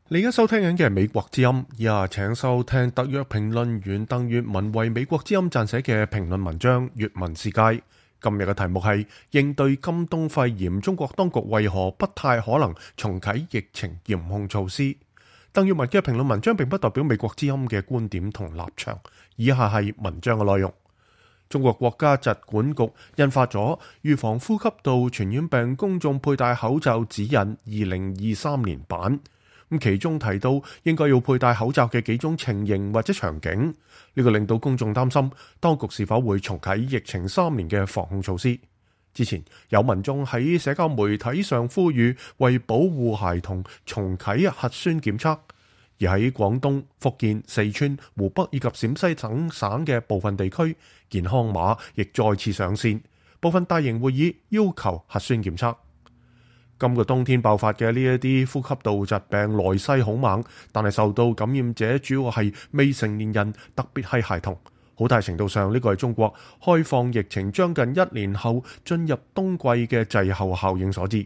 你而家收聽緊嘅係美國之音，以下請收聽特約評論員鄧粵文為美國之音撰寫嘅評論文章《粵文世界》。今日嘅題目係應對今冬肺炎，中國當局為何不太可能重啟疫情嚴控措施？鄧粵文嘅評論文章並不代表美國之音嘅觀點同立場，以下係文章嘅內容。中國國家疾管局印發咗預防呼吸道傳染病公眾佩戴口罩指引2023年版。其中提到應該要佩戴口罩嘅幾種情形或者場景，呢個令到公眾擔心當局是否會重啟疫情3年嘅防控措施。之前有民眾喺社交媒體上呼籲為保護孩童重啟核酸檢測，而喺廣東、福建、四川、湖北以及陝西等省嘅部分地區，健康碼亦再次上線，部分大型會議要求核酸檢測。今個冬天爆發嘅呢一啲呼吸道疾病來勢好猛，但係受到感染者主要係未成年人，特別係孩童。好大程度上，呢個係中國開放疫情將近1年後進入冬季嘅滯後效應所致。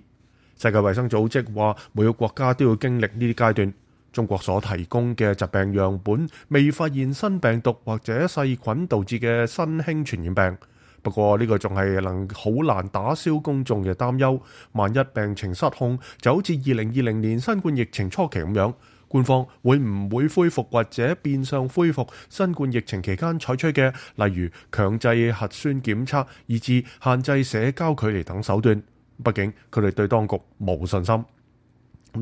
世界衛生組織話，每個國家都要經歷呢啲階段。中國所提供嘅疾病樣本未發現新病毒或者細菌導致嘅新興傳染病。不過呢個仲係好難打消公眾嘅擔憂，萬一病情失控，就好似2020年新冠疫情初期咁樣，官方會唔會恢復或者變相恢復新冠疫情期間採取嘅，例如強制核酸檢測，以至限制社交距離等手段？畢竟佢哋對當局冇信心。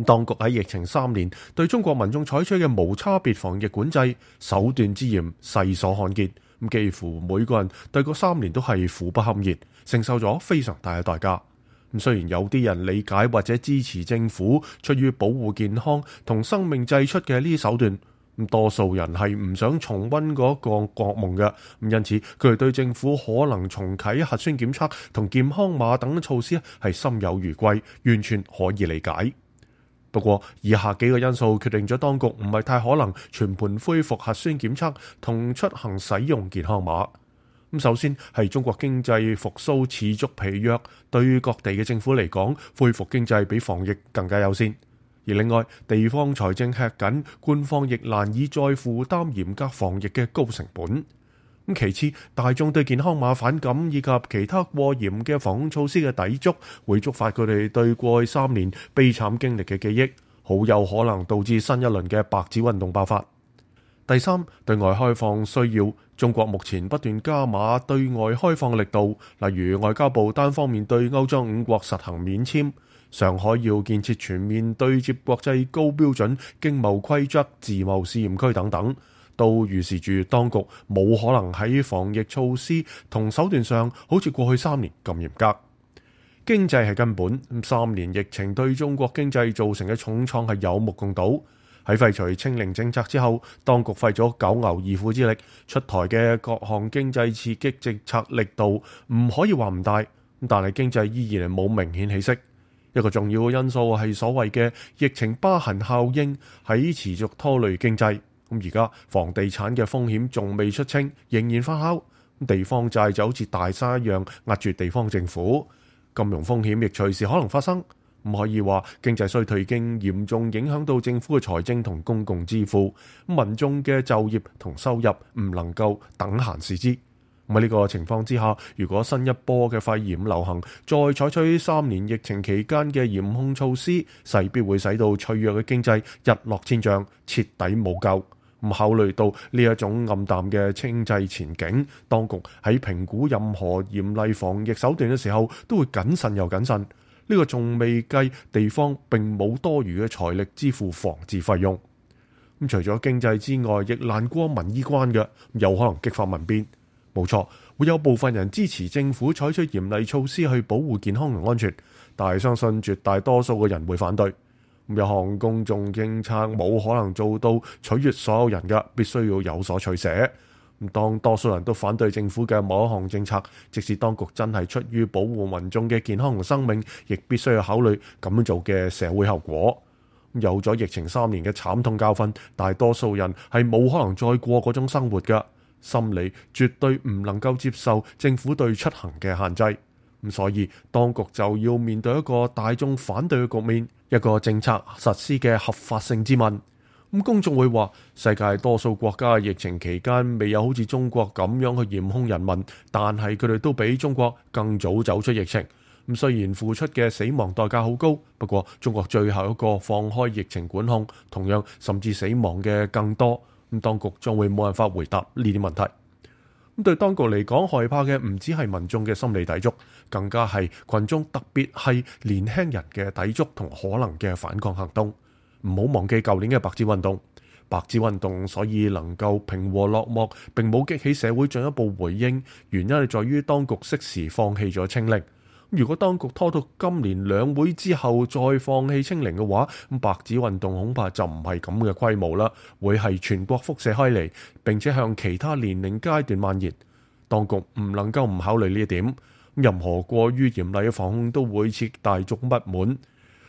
當局喺疫情3年對中國民眾採取嘅無差別防疫管制手段之嚴，世所罕見。幾乎每個人對嗰3年都係苦不堪言，承受咗非常大嘅代價。雖然有啲人理解或者支持政府出於保護健康同生命祭出嘅呢啲手段，多數人係唔想重溫嗰個噩夢嘅。因此佢哋對政府可能重啟核酸檢測同健康碼等措施係心有餘悸，完全可以理解。不過以下幾個因素決定咗當局唔係太可能全盤恢復核酸檢測同出行使用健康碼。首先係中國經濟復甦持續疲弱，對於各地嘅政府嚟講，恢復經濟比防疫更加優先。而另外，地方財政吃緊，官方亦難以再負擔嚴格防疫嘅高成本。其次，大眾對健康碼反感以及其他過嚴嘅防控措施嘅抵觸，會觸發佢哋對過去3年悲慘經歷嘅記憶，好有可能導致新一輪嘅白紙運動爆發。第三，對外開放需要，中國目前不斷加碼對外開放力度，例如外交部單方面對歐洲5國實行免簽，上海要建設全面對接國際高標準經貿規則自貿試驗區等等，都預示住當局冇可能喺防疫措施同手段上好似過去3年咁嚴格。經濟係根本，3年疫情對中國經濟造成嘅重創係有目共睹。喺廢除清零政策之後，當局費咗九牛二虎之力出台嘅各項經濟刺激政策力度唔可以話唔大，但係經濟依然係冇明顯起色。一個重要嘅因素係所謂嘅疫情疤痕效應喺持續拖累經濟。而家房地產嘅風險仲未出清，仍然發酵。地方債就好似大山一樣壓住地方政府，金融風險亦隨時可能發生。唔可以話經濟衰退已經嚴重影響到政府嘅財政同公共支付，民眾嘅就業同收入唔能夠等閒視之。喺呢個情況之下，如果新一波嘅肺炎流行再採取3年疫情期間嘅嚴控措施，勢必會使到脆弱嘅經濟日落千丈，徹底冇救。考慮到呢一種暗淡嘅經濟前景，當局喺評估任何嚴厲防疫手段嘅時候，都會謹慎又謹慎。呢個仲未計地方並冇多餘嘅財力支付防治費用。除咗經濟之外，亦難過民意關嘅，有可能激發民變。冇錯，會有部分人支持政府採取嚴厲措施去保護健康同安全，但係相信絕大多數嘅人會反對。有項公眾政策冇可能做到取悅所有人嘅，必須要有所取捨。當多數人都反對政府嘅某一項政策，即使當局真係出於保護民眾嘅健康同生命，亦必須要考慮咁樣做嘅社會後果。有咗疫情3年嘅慘痛教訓，大多數人係冇可能再過嗰種生活嘅，心理絕對唔能夠接受政府對出行嘅限制。所以當局就要面對一個大眾反對嘅局面，一個政策實施嘅合法性之問。咁公眾會話，世界多數國家疫情期間未有好似中國咁樣去嚴控人民，但係佢哋都比中國更早走出疫情。咁雖然付出嘅死亡代價好高，不過中國最後一個放開疫情管控，同樣甚至死亡嘅更多。咁當局將會冇辦法回答呢啲問題。咁對當局嚟講，害怕嘅唔止係民眾嘅心理抵觸，更加係群眾，特別係年輕人嘅抵觸同可能嘅反抗行動。唔好忘記舊年嘅白紙運動，白紙運動所以能夠平和落幕，並冇激起社會進一步回應，原因係在於當局適時放棄咗清零。如果當局拖到今年兩會之後再放棄清零嘅話，咁白紙運動恐怕就唔係咁嘅規模啦，會係全國輻射開嚟，並且向其他年齡階段蔓延。當局唔能夠唔考慮呢一點，任何過於嚴厲嘅防控都會刺激大眾不滿。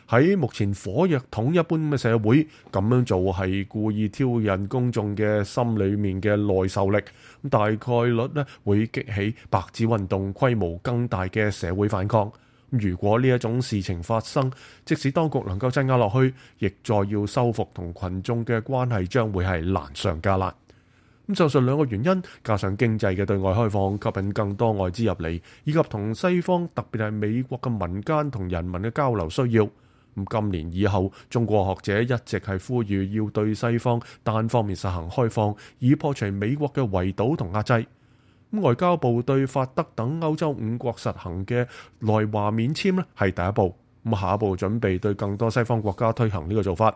喺目前火藥桶一般嘅社會，咁樣做係故意挑釁公眾嘅心裏面嘅耐受力，咁大概率呢會激起白紙運動規模更大嘅社會反抗。如果呢一種事情發生，即使當局能夠鎮壓落去，亦再要修復同群眾嘅關係，將會係難上加難。咁上述兩個原因，加上經濟嘅對外開放，吸引更多外資入嚟，以及同西方特別係美國嘅民間同人民嘅交流需要。今年以後，中國學者一直係呼籲要對西方單方面實行開放，以破除美國嘅圍堵同壓制。外交部對法德等歐洲五國實行嘅來華免簽咧係第一步，下一步準備對更多西方國家推行呢個做法。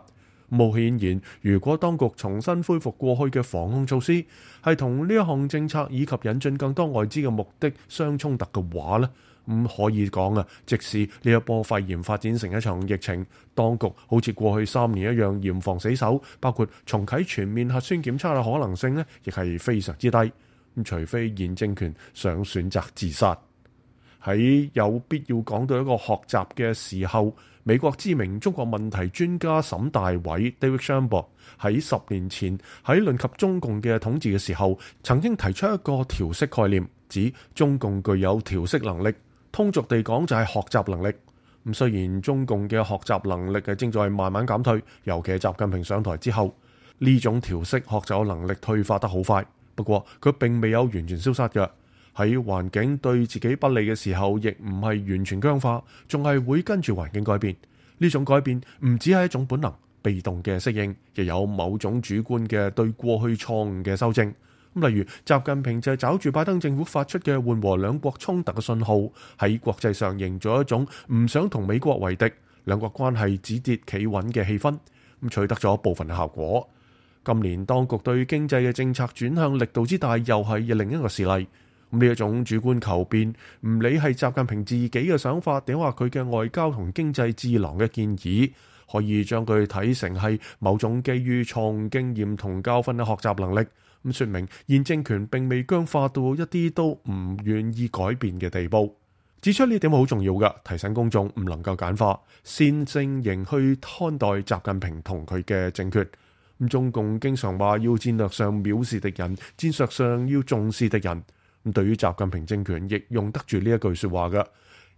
冇顯然，如果當局重新恢復過去嘅防控措施，係同呢一項政策以及引進更多外資嘅目的相衝突嘅話呢，可以講啊，即使呢一波肺炎發展成一場疫情，當局好似過去3年一樣嚴防死守，包括重啟全面核酸檢測嘅可能性呢，亦係非常之低。除非現政權想選擇自殺。喺有必要講到一個學習嘅時候，美國知名中國問題專家沈大偉 David Shambaugh 喺10年前喺論及中共嘅統治嘅時候，曾經提出一個調適概念，指中共具有調適能力，通俗地講就係學習能力。雖然中共嘅學習能力正在慢慢減退，尤其係習近平上台之後，呢種調適學習能力退化得好快。不過佢並未有完全消失嘅，喺環境對自己不利嘅時候，亦唔係完全僵化，仲係會跟住環境改變。呢種改變唔只係一種本能、被動嘅適應，亦有某種主觀嘅對過去錯誤嘅修正。例如習近平就係抓住拜登政府發出嘅緩和兩國衝突嘅信號，喺國際上營造一種唔想同美國為敵、兩國關係止跌企穩嘅氣氛，取得咗部分嘅效果。今年當局對經濟嘅政策轉向力度之大，又係另一個事例。呢一種主觀求變，唔理係習近平自己嘅想法，定話佢嘅外交同經濟智囊嘅建議，可以將佢睇成係某種基於錯誤經驗同教訓嘅學習能力。說明現政權並未僵化到一啲都唔願意改變嘅地步。指出呢點好重要嘅，提醒公眾唔能夠簡化、線性型去看待習近平同佢嘅政權。中共經常話要戰略上藐視敵人，戰術上要重視敵人。對於習近平政權亦用得住呢一句說話嘅，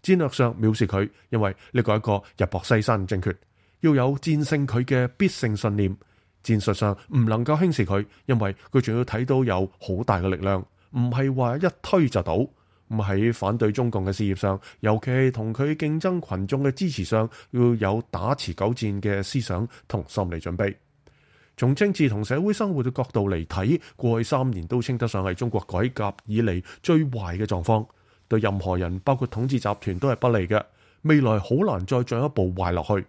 戰略上藐視佢，因為呢個係一個日薄西山政權，要有戰勝佢嘅必勝信念。戰術上唔能夠輕視佢，因為佢仲要睇到有好大嘅力量，唔係話一推就倒。喺反對中共嘅事業上，尤其係同佢競爭群眾嘅支持上，要有打持久戰嘅思想同心理準備。從政治同社會生活嘅角度嚟睇，過去3年都稱得上係中國改革以嚟最壞嘅狀況，對任何人包括統治集團都係不利嘅。未來好難再進一步壞落去。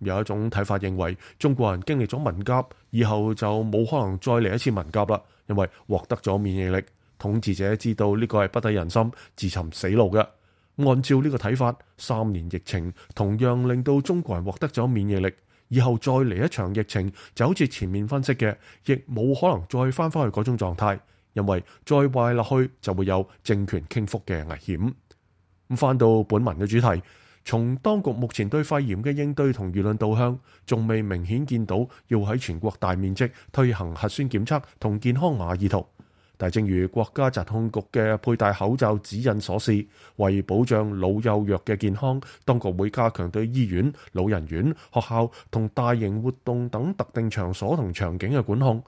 有一種睇法認為，中國人經歷咗文革以後就冇可能再嚟一次文革啦，因為獲得咗免疫力。統治者知道呢個係不得人心、自尋死路嘅。按照呢個睇法，3年疫情同樣令到中國人獲得咗免疫力。以後再嚟一場疫情，就好似前面分析嘅，亦冇可能再翻返去嗰種狀態，因為再壞落去就會有政權傾覆嘅危險。翻到本文嘅主題，從當局目前對肺炎嘅應對同輿論導向，仲未明顯見到要喺全國大面積推行核酸檢測同健康碼意圖。但正如國家疾控局嘅佩戴口罩指引所示，為保障老幼弱嘅健康，當局會加強對醫院、老人院、學校同大型活動等特定場所同場景嘅管控。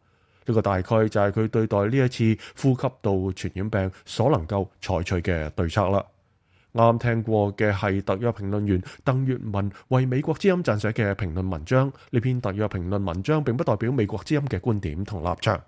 呢個大概就係佢對待呢一次呼吸道傳染病所能夠採取嘅對策啦。啱聽過嘅係特約評論員鄧月文為美國之音撰寫嘅評論文章。呢篇特約評論文章並不代表美國之音嘅觀點同立場。